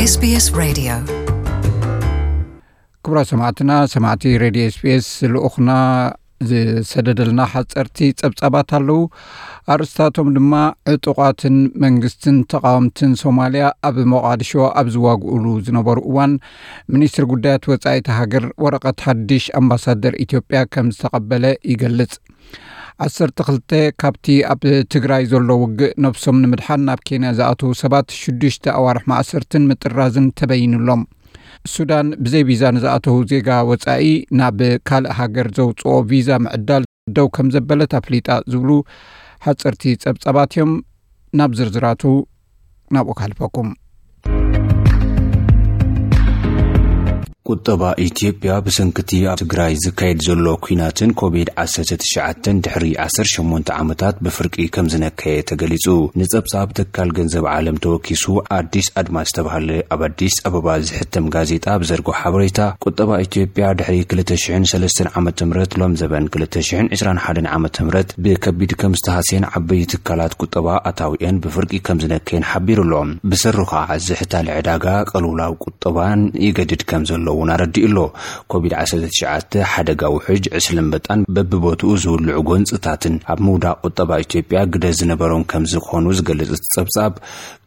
SBS Radio. ክቡራት ሰማዕትና፣ ሰማዕቲ ሬድዮ ኤስቢኤስ፣ ልኡኽና ዝሰደደልና ሓፀርቲ ጸብጻባት ኣለዉ። ኣርእስታቶም ድማ፣ ዕጡቓትን መንግስትን ተቓወምትን ሶማልያ ኣብ ሞቓድሾ ኣብ ዝዋግኡሉ ዝነበሩ እዋን፣ ሚኒስትሪ ጉዳያት ወጻኢ እታ ሃገር ወረቐት ሓድሽ ኣምባሳደር ኢትዮጵያ ከም ዝተቐበለ ይገልጽ። ዓሰርተ ክልተ ካብቲ ኣብ ትግራይ ዘሎ ውግእ ነብሶም ንምድሓን ናብ ኬንያ ዝኣተዉ ሰባት ሽዱሽተ ኣዋርሕ ማእሰርትን ምጥራዝን ተበይኑሎም። ሱዳን ብዘይ ቪዛ ንዝኣተዉ ዜጋ ወጻኢ ናብ ካልእ ሃገር ዘውጽኦ ቪዛ ምዕዳል ደው ከም ዘበለት ኣፍሊጣ ዝብሉ ሓጸርቲ ጸብጻባት እዮም። ናብ ዝርዝራቱ ናብኡ ካልፈኩም። ቁጠባ ኢትዮጵያ ብሰንክቲ ኣብ ትግራይ ዝካየድ ዘሎ ኲናትን ኮቪድ ዓሰርተ ትሽዓተ ድሕሪ ዓሰርተ ሸሞንተ ዓመታት ብፍርቂ ከም ዝነከየ ተገሊጹ። ንጸብጻብ ትካል ገንዘብ ዓለም ተወኪሱ ኣዲስ ኣድማስ ዝተባህለ ኣብ ኣዲስ ኣበባ ዝሕተም ጋዜጣ ብዘርግሖ ሓበሬታ፣ ቁጠባ ኢትዮጵያ ድሕሪ ክልተ ሽሕን ሰለስተን ዓመተ ምህረት ሎም ዘበን ክልተ ሽሕን ዕስራን ሓደን ዓመተ ምህረት ብከቢድ ከም ዝተሃስየን ዓበይቲ ትካላት ቁጠባ ኣታዊአን ብፍርቂ ከም ዝነከየን ሓቢሩ ኣሎ። ብሰሩ ከዓ ዝሕታለ ዕዳጋ፣ ቅልውላው ቁጠባን ይገድድ ከም ዘሎ እውን ኣረዲኡ ኣሎ። ኮቪድ ዓሰርተ ትሽዓተ ሓደጋ ውሕጅ፣ ዕስለ ኣንበጣን በብቦትኡ ዝውልዑ ጎንፅታትን ኣብ ምውዳቕ ቁጠባ ኢትዮጵያ ግደ ዝነበሮም ከም ዝኾኑ ዝገልጽ እቲ ጸብጻብ፣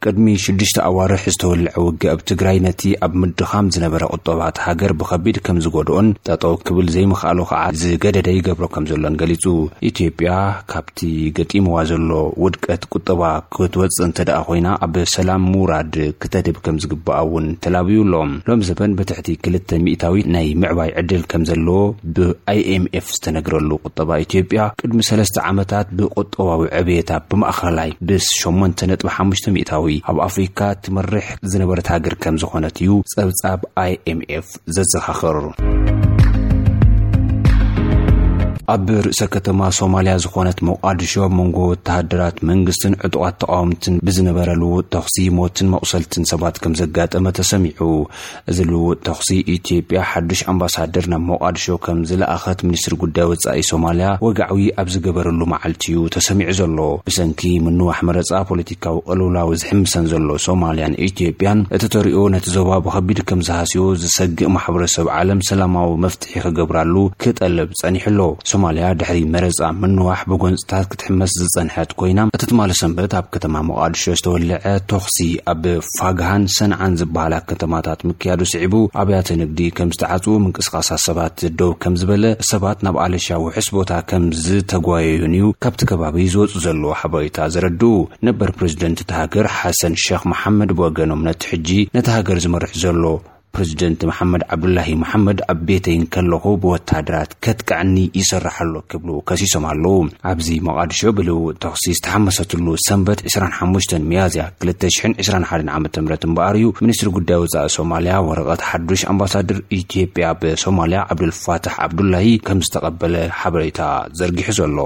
ቅድሚ ሽዱሽተ ኣዋርሕ ዝተወልዐ ውግእ ኣብ ትግራይ ነቲ ኣብ ምድኻም ዝነበረ ቁጠባ እታ ሃገር ብኸቢድ ከም ዝጎድኦን ጠጠው ክብል ዘይምኽኣሉ ከዓ ዝገደደ ይገብሮ ከም ዘሎን ገሊጹ። ኢትዮጵያ ካብቲ ገጢምዋ ዘሎ ውድቀት ቁጠባ ክትወጽእ እንተ ደኣ ኮይና፣ ኣብ ሰላም ምውራድ ክተድህብ ከም ዝግባኣ እውን ተላብዩ ኣሎ። ሎም ዘበን ብትሕቲ ክልተ ሚእታዊ ናይ ምዕባይ ዕድል ከም ዘለዎ ብኣይኤምኤፍ ዝተነግረሉ ቁጠባ ኢትዮጵያ፣ ቅድሚ ሰለስተ ዓመታት ብቁጠባዊ ዕብየታ ብማእኸላይ ብሸሞንተ ነጥቢ ሓሙሽተ ሚእታዊ ኣብ ኣፍሪካ ትመርሕ ዝነበረት ሃገር ከም ዝኾነት እዩ ጸብጻብ ኣይኤምኤፍ ዘዘኻኽር። ኣብ ርእሰ ከተማ ሶማልያ ዝኾነት ሞቃዲሾ፣ ኣብ መንጎ ወተሃደራት መንግስትን ዕጡቓት ተቃወምትን ብዝነበረ ልውውጥ ተኹሲ፣ ሞትን መቑሰልትን ሰባት ከም ዘጋጠመ ተሰሚዑ። እዚ ልውውጥ ተኹሲ፣ ኢትዮጵያ ሓዱሽ ኣምባሳደር ናብ ሞቃዲሾ ከም ዝለኣኸት ሚኒስትሪ ጉዳይ ወጻኢ ሶማልያ ወግዓዊ ኣብ ዝገበረሉ መዓልቲ እዩ ተሰሚዑ ዘሎ። ብሰንኪ ምንዋሕ መረጻ፣ ፖለቲካዊ ቅልውላው ዝሕምሰን ዘሎ ሶማልያን ኢትዮጵያን፣ እቲ ተሪኦ ነቲ ዞባ ብኸቢድ ከም ዝሃስዮ ዝሰግእ ማሕበረሰብ ዓለም ሰላማዊ መፍትሒ ክገብራሉ ክጠልብ ጸኒሑ ኣሎ። ሶማልያ ድሕሪ መረጻ ምንዋሕ ብጎንጽታት ክትሕመስ ዝጸንሐት ኮይና፣ እቲ ትማሊ ሰንበት ኣብ ከተማ ሞቃዲሾ ዝተወልዐ ተኹሲ ኣብ ፋግሃን ሰንዓን ዝበሃላ ከተማታት ምክያዱ ስዒቡ፣ ኣብያተ ንግዲ ከም ዝተዓጽዉ፣ ምንቅስቃሳት ሰባት ደው ከም ዝበለ፣ ሰባት ናብ ኣለሻ ውሑስ ቦታ ከም ዝተጓየዩን እዩ ካብቲ ከባቢ ዝወጹ ዘለዉ ሓበሬታ ዘረድኡ። ነበር ፕሬዚደንት እታ ሃገር ሓሰን ሸኽ መሓመድ ብወገኖም፣ ነቲ ሕጂ ነቲ ሃገር ዝመርሕ ዘሎ ፕሬዚደንት መሓመድ ዓብዱላሂ መሓመድ ኣብ ቤተይ እንከለኹ ብወታደራት ከጥቅዐኒ ይሰርሕ ኣሎ ክብሉ ከሲሶም ኣለዉ። ኣብዚ ሞቓዲሾ ብልውውጥ ተኹሲ ዝተሓመሰትሉ ሰንበት ዕስራን ሓሙሽተን ሚያዝያ ክልተ ሽሕን ዕስራን ሓደን ዓመተ ምህረት እምበኣር እዩ፣ ሚኒስትሪ ጉዳይ ወጻኢ ሶማልያ ወረቐት ሓዱሽ ኣምባሳደር ኢትዮጵያ ኣብ ሶማልያ ዓብዱልፋታሕ ዓብዱላሂ ከም ዝተቐበለ ሓበሬታ ዘርጊሑ ዘሎ።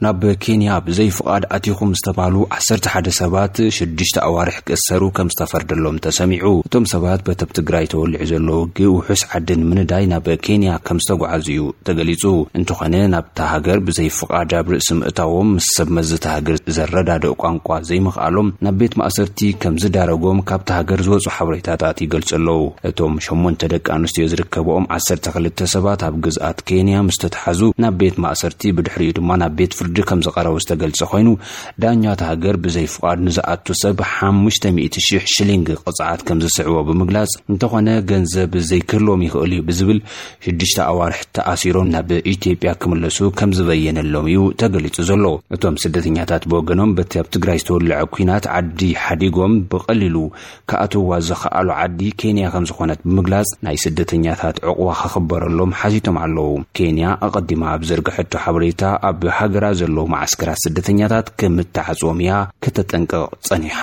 ናብ ኬንያ ብዘይ ፍቓድ ኣቲኹም ዝተባህሉ ዓሰርተ ሓደ ሰባት ሽዱሽተ ኣዋርሕ ክእሰሩ ከም ዝተፈርደሎም ተሰሚዑ። እቶም ሰባት በቲ ኣብ ትግራይ ተወሊዑ ዘሎ ውግእ ውሑስ ዓዲ ንምንዳይ ናብ ኬንያ ከም ዝተጓዓዙ እዩ ተገሊጹ። እንተኾነ፣ ናብታ ሃገር ብዘይ ፍቓድ ኣብ ርእሲ ምእታዎም፣ ምስ ሰብ መዚ እታ ሃገር ዘረዳድእ ቋንቋ ዘይምኽኣሎም ናብ ቤት ማእሰርቲ ከም ዝዳረጎም ካብታ ሃገር ዝወጹ ሓበሬታታት ይገልጹ ኣለዉ። እቶም ሸሞንተ ደቂ ኣንስትዮ ዝርከብኦም ዓሰርተ ክልተ ሰባት ኣብ ግዝኣት ኬንያ ምስ ተታሕዙ ናብ ቤት ማእሰርቲ፣ ብድሕሪኡ ድማ ናብ ቤት ፍርዲ ከም ዝቐረቡ ዝተገልጸ ኮይኑ፣ ዳኛ እታ ሃገር ብዘይ ፍቓድ ንዝኣቱ ሰብ ሓሙሽተ ሚእቲ ሽሕ ሽሊንግ ቅጽዓት ከም ዝስዕቦ ብምግላጽ፣ እንተኾነ ገንዘብ ዘይክህልዎም ይኽእል እዩ ብዝብል ሽዱሽተ ኣዋርሕ ተኣሲሮም ናብ ኢትዮጵያ ክምለሱ ከም ዝበየነሎም እዩ ተገሊጹ ዘሎ። እቶም ስደተኛታት ብወገኖም፣ በቲ ኣብ ትግራይ ዝተወልዐ ኲናት ዓዲ ሓዲጎም ብቐሊሉ ክኣትውዋ ዝኸኣሉ ዓዲ ኬንያ ከም ዝኾነት ብምግላጽ፣ ናይ ስደተኛታት ዕቑባ ክኽበረሎም ሓቲቶም ኣለዉ። ኬንያ ኣቐዲማ ኣብ ዘርግሐቶ ሓበሬታ፣ ኣብ ሃገራ ዘለዉ መዓስከራት ስደተኛታት ከምትዓጽዎም እያ ከተጠንቅቕ ጸኒሓ።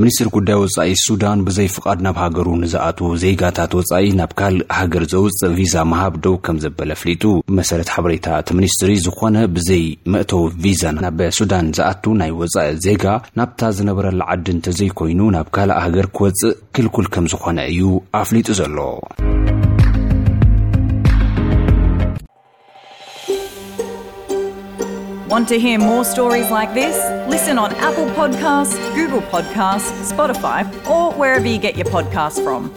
ሚኒስትሪ ጉዳይ ወጻኢ ሱዳን፣ ብዘይ ፍቓድ ናብ ሃገሩ ንዝኣትዉ ዜጋታት ወጻኢ ናብ ካልእ ሃገር ዘውጽእ ቪዛ ምሃብ ደው ከም ዘበለ ኣፍሊጡ። ብመሰረት ሓበሬታ እቲ ሚኒስትሪ፣ ዝኾነ ብዘይ መእተዊ ቪዛ ናብ ሱዳን ዝኣቱ ናይ ወጻኢ ዜጋ፣ ናብታ ዝነበረላ ዓዲ እንተዘይኮይኑ ናብ ካልእ ሃገር ክወጽእ ክልኩል ከም ዝኾነ እዩ ኣፍሊጡ ዘሎ። Want to hear more stories like this? Listen on Apple Podcasts, Google Podcasts, Spotify, or wherever you get your podcasts from.